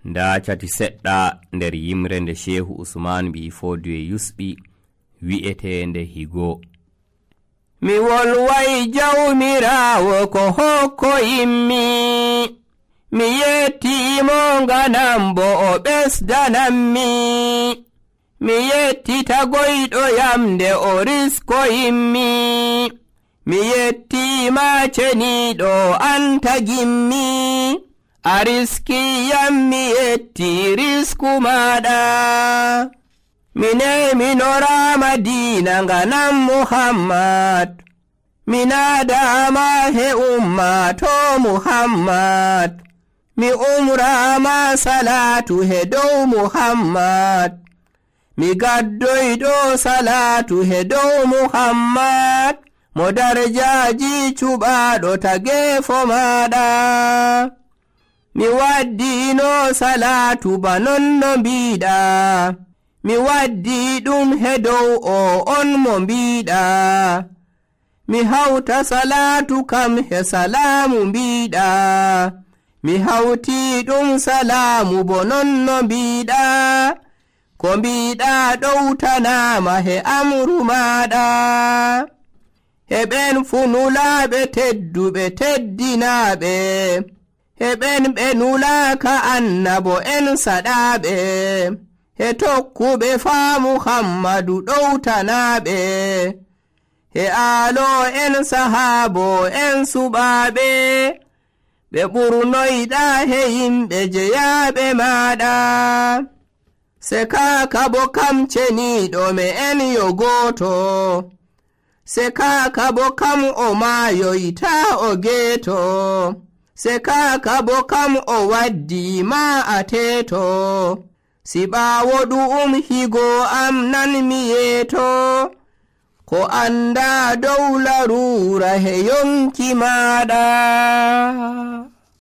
Nda cati seɗɗa nder yimre nde Shehu Usman bi Fodiwe yusɓi wi'etende higo. Mi wolway jawmirawo ko hokkoyimmi, mi yettimo nganam bo o ɓesdanammi, mi yettita goyɗo yam nde o riskoyimmi, mi yettima ceniɗo an tagimmi, a riskiyam mi yetti risku maɗa. Minorama dina nganam Muhammad, minadama he ummato Muhammad, mi umrama salatu he dow Muhammad, mi gaddoyɗo salatu he dow Muhammad, mo darajaji cuɓaɗo tagefo maɗa. Mi waddino salatu banon no mbiɗa, mi waddi ɗum he dow o on mo mbiɗa, mi hawta salatu kam he salamu mbiɗa, mi hawti ɗum salamu bo non no mbiɗa, ko mbiɗa ɗowtanama he amru maɗa. Heɓen fu nulaɓe tedduɓe teddinaɓe, heɓen ɓe nulaka annabo en saɗaɓe, he tokkuɓe faa Muhammadu ɗowtanaɓe, he aalo en sahaabo en suɓaɓe, ɓe ɓurnoyɗa he yimɓe jeyaɓe maɗa. Se kaka bo kam ceniɗo me en yo gooto, se kaka bo kam o maayoyta o geeto, se kaka bo kam o waddi ma a teeto, si ɓaawo ɗu'um higo am nan mi yeeto, ko anda dow larura he yonki maɗa.